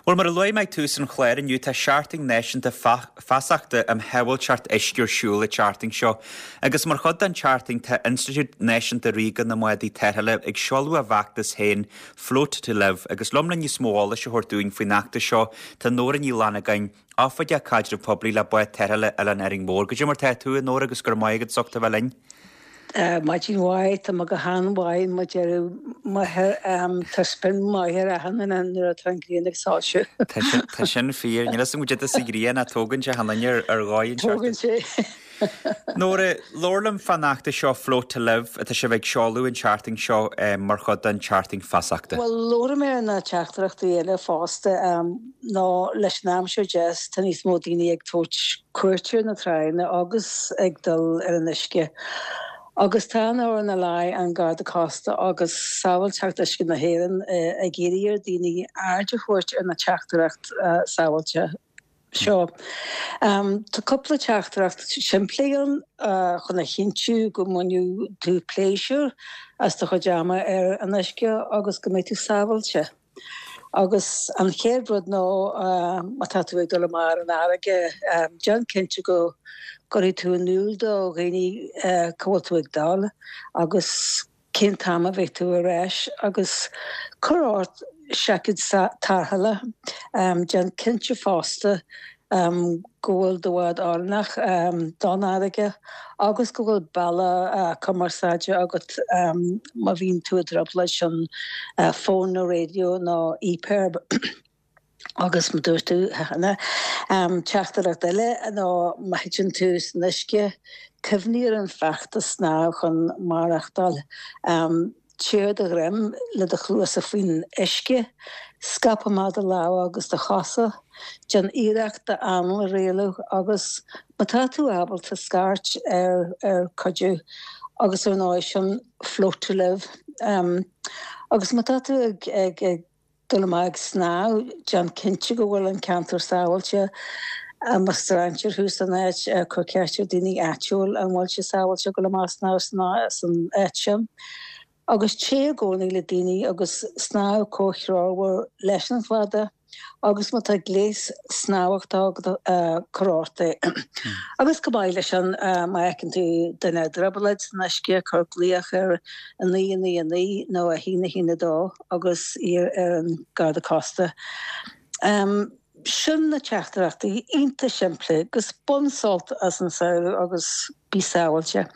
Bhuel, mar a luaigh mé ag tús an chláir inniu, tá Seachtain Náisiúnta Feasachta um Shábháilteacht Uisce ar siúl an tseachtain seo. Agus mar chuid den tseachtain, tá Institiúid Náisiúnta Ríoga na mBádaí Tarrthála ag seoladh a bhfeachtas féin, Float to Live. Agus liom le níos mó eolais a thabhairt dúinn faoin fheachtas seo, tá Nóra Ní Fhlannagáin, Oifigeach Caidrimh Poiblí le Bád Tarrthála Oileán Árainn Mhór. Goidé mar tá tú, a Nóra, agus go raibh maith agat as ucht a bheith linn. Maidin mhaith, tá mé go han-mhaith mar deireadh máthair, tá spion maith ar achan duine nuair atá an ghrian ag soilsiú. Tá sin fíor, níl 'fhios agam goidé atá sa ghrian ach tógann sé achan duine ar dhóigh an Tógann sé. Nóra, labhair liom fán fheachtas seo Float to Live atá sibh ag seoladh an tseachtain seo mar chuid den tseachtain feasachta. Bhuel, labharfaidh mé ar na teachtaireachtaí eile fosta. Nó leis an aimsir deas tá níos mó daoine ag tabhairt cuairt ar na tránna agus ag dul ar an uisce. Agus tá an RNLI, an Garda Cósta agus Sábháilteacht Uisce na hÉireann ag iarraidh ar dhaoine aird a thabhairt ar na teachtaireacht sábháilte seo. Tá cúpla teachtaireacht simplí ann chun a chinntiú go mbainfidh tú pléisiúr as do chuid ama ar an uisce agus go mbeidh tú sábháilte. Agus an chéad rud ná má tá tú ag dul amach ar an fharraige, déan cinnte go gcuirfidh tú in iúl do dhaoine cá bhfuil tú ag dul agus cén t-am a bheidh tú ar ais agus cuir ort seaicéad tarrthála. Déan cinnte fosta go bhfuil do bhád oiriúnach don fharraige agus go bhfuil bealach cumarsáide agat má bhíonn tú i dtrioblóid, sin fón nó raidió nó EPIRB. Agus mar dúirt tú cheana, teachtaireacht eile ná má thiteann tú san uisce, cuimhnigh ar an feachtas snámh chun maireachtáil. Téir ar do dhroim le do chluasa faoin uisce, scaip amach do lámha agus do chosa, déan iarracht d'anáil a rialú agus, má tá tú ábalta, scairt ar ar cuidiú agus ar ndóigh sin float to live. Agus má tá tú ag ag dul amach ag snámh, déan cinnte go bhfuil an ceantar sábháilte. Más strainséir thú san áit, cuir ceist ar daoine áitiúil an bhfuil sé sábháilte dul amach ag snámh san áit sin. Agus téigh i gcónaí le daoine agus snámh comhthreomhar leis an chladaí. Agus má tá gléas snámhachta agat, cuir ort é. Agus chomh maith leis sin, má fheiceann tú duine i dtrioblóid san uisce, cuir glaoch ar 9 9 9 nó 1 1 2. agus iarr ar an Garda Cósta. Sin na teachtaireachtaí iontach simplí agus bain sult as an samhradh agus bí sábháilte.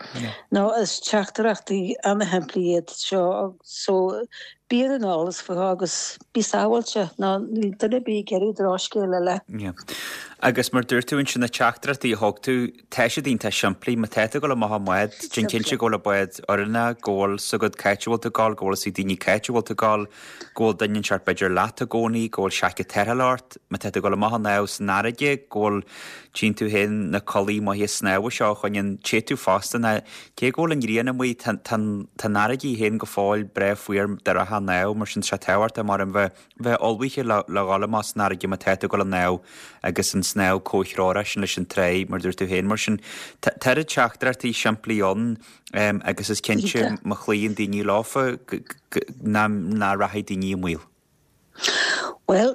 Nó is teachtaireachtaí ana-shimplí iad seo so bí ar an eolas fúthu agus bí sábháilte nó níl duine ar bith ag iarraidh drochscéal eile. Agus mar dúirt tú ansin na teachtaireachtaí a thug tú, Tá siad iontach simplí. Má tá tú ag dul amach i mbád, déan cinnte go bhfuil an bád oiriúnach, go bhfuil 's agat cá háit a bhfuil tú ag dul, go bhfuil 'fhios ag daoine cá háit a bhfuil tú ag dul, go bhfuil duine inteacht b'fhéidir leat i gcónaí, go bhfuil seaicéad tarrthála ort. Má tá tú ag dul amach ag snámh san fharraige, go bhfuil, tchíonn tú féin na culaith maithe snámha seo a choinníonn te tú fosta ná cé go bhfuil an ghrian amuigh, tá an fharraige í féin go fóill breá fuar dá rachfá ag snámh, mar sin tá sé tábhachtach mar an bheith bheith ullmhaithe le dhul amach san fharraige má tá tú ag dul ag snámh agus an snámh comhthreomhar sin leis an tráigh, mar dúirt tú féin. Mar sin, tá oiread teachtaireachtaí simplí ann agus is cinnte má chloíonn daoine leofa nach rachaidh daoine i mbaol. Bhuel,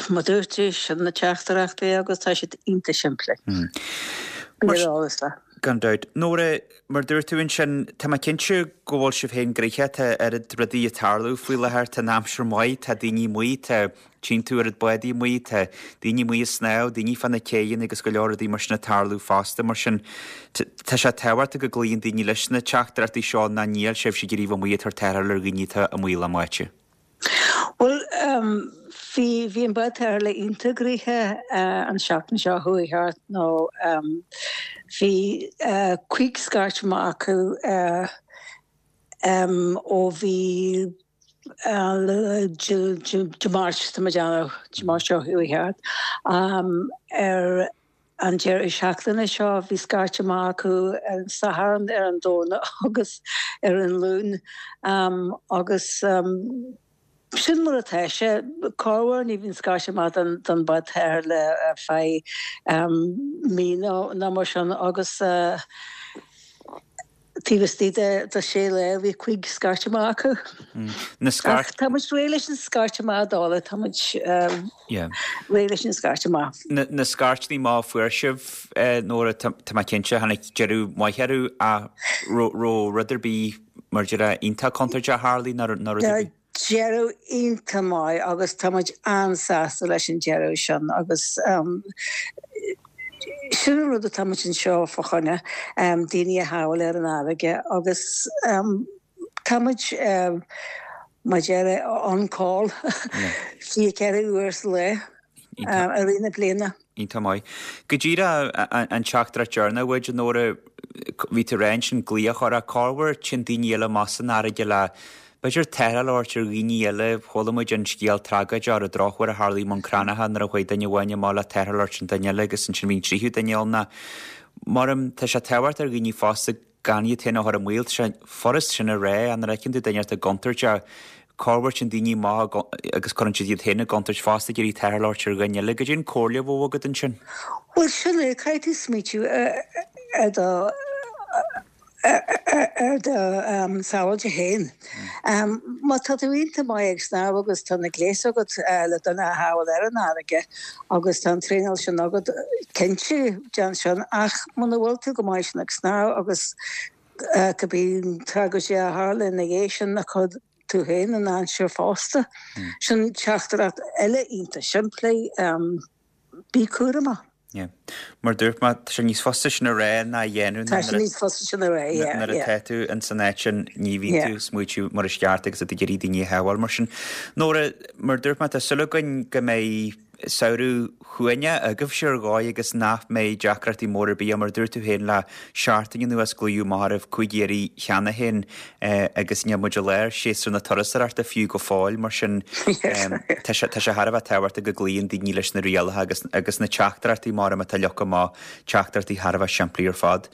mar dúirt tú, sin na teachtaireachtaí agus tá siad iontach simplí. Bí ar eolas le. Gan dabht. Nóra, Mar dúirt tú ansin, tá mé cinnte go bhfuil sibh féin gnoitheach, tá oiread rudaí ag tarlú faoi láthair, tá an aimsir maith, tá daoine amuigh, tá, tchíonn tú oiread bádaí amuigh, tá daoine amuigh ag snámh, daoine fá na céidheanna agus go leor rudaí mar sin ag tarlú fosta, mar sin tá sé tábhachtach go gcloíonn daoine leis na teachtaireachtaí seo ná níl sibhse ag iarraidh a bheith amuigh ag tabhairt tarrtháil ar dhaoine atá amuigh le báite. Bhuel, bhí, bhí an bád tarrthála iontach gnoitheach an seachtain seo chuaigh thart nó bhí 15 scairt amach acu ó bhí Dé Máirt, tá mé ag déanamh, Dé Máirt seo chuaigh thart, ar An deireadh seachtaine seo bhí scairt amach acu ar an Satharn, ar an Domhnach agus ar an Luan agus sin mar atá sé. Corruair ní bhíonn scairt amach don bád tarrthála ar feadh mí nó mar sin agus. Taobh istigh de sé lá bhí 5 scairt amach acu. Na scairt. Ach tá muid réidh leis an scairt amach a dháileadh, tá muid réidh leis an scairt amach. Na scairteanna amach a fuair sibh, Nóra, tá mé cinnte, tháinig deireadh maith orthu ach raibh rud ar bith mar déarfá iontach contúirteach a tharlaigh nó rud ar bith? Deireadh iontach maith agus tá muid an-sásta leis an deireadh sin agus sin an rud atá muid anseo fá choinne, daoine a shábháil ar an fharraige agus tá muid mar a déarfá on call 24 uair sa lá i rith na bliana. Iontach maith. Go díreach an teachtaireacht deireanach uait, a Nóra, bhí tú ag rá ansin glaoch orthu, corruair téann daoine eile amach san fharraige le, b'fhéidir, tarrtháil a thabhairt ar dhaoine eile. Chuala muid an scéal tragóideach ar an drochuair a tharlaigh i mBun Cranncha nuair a chuaigh duine amháin amach le tarrtháil a thabhairt an duine eile agus ansin bhí an tríú duine ann. Maram, tá sé tábhachtach ar dhaoine fosta gan iad féin a chur i mbaol. Tá sé furast sin a rá, ach nuair a fheiceann tú duine inteacht i gcontúirt, corruair téann daoine amach agus cuireann siad iad féin i gcontúirt fosta ag iarraidh tarrtháil a thabhairt ar dhuine eile. Goidé an comhairle a bheadh agat ansin? Bhuel, sin é, caithfidh tú smaoitiú ar do ar do sábháilte féin. Má tá tú iontach maith ag snámh agus tá na gléas agat le duine a shábháil ar an fharraige agus tá an traenáil sin agat, cinnte, déan sin. Ach muna bhfuil tú go maith sin ag snámh agus cibé tragóid a tharla ina dhiaidh sin, cuir tú féin i ndainséar fosta. Sin teachtaireacht eile iontach simplí, bí cúramach. Yeah. Mar dúirt mé, tá sé níos fusa sin a rá ná a dhéanamh. Tá sé níos fusa sin a rá, yeah. Nuair atá tú in san áit sin, ní bhíonn tú ag smaoitiú mar is ceart agus tú ag iarraidh daoine a shábháil mar sin. Nóra, mar dúirt mé, tá súil againn go mbeidh samhradh shuaimhneach agaibhse ar dhóigh agus nach mbeidh deacrachtaí móra ar bith ann. Mar a dúirt tú féin le seachtain anuas glaodh amach oraibh 5 iarraidh cheana féin agus níl muid i lár séasúr na turasóireachta fiú go fóill mar sin tá sé tá sé thar a bheith tábhachtach go gcloíonn daoine leis na rialacha agus agus na teachtaireachtaí mar atá leagtha amach, teachtaireachtaí thar a bheith simplí ar fad.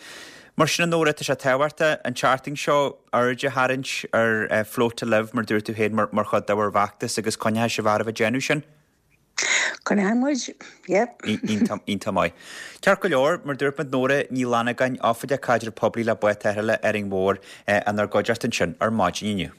Mar sin a Nóra, tá sé tábhachtach an tseachtain seo aird a tharraingt ar Float to Live mar dúirt tú féin mar mar chuid de bhur bhfeachtas agus coinneoidh sibh oraibh ag déanamh sin. Coinneoidh muid, yep. Iontach maith. Ceart go leor, mar dúirt muid Nóra Ní Fhlannagáin, Oifigeach Caidreamh Poiblí le Bád Tarrthála Árainn Mhór, inár gcuideachta ansin ar maidin inniu.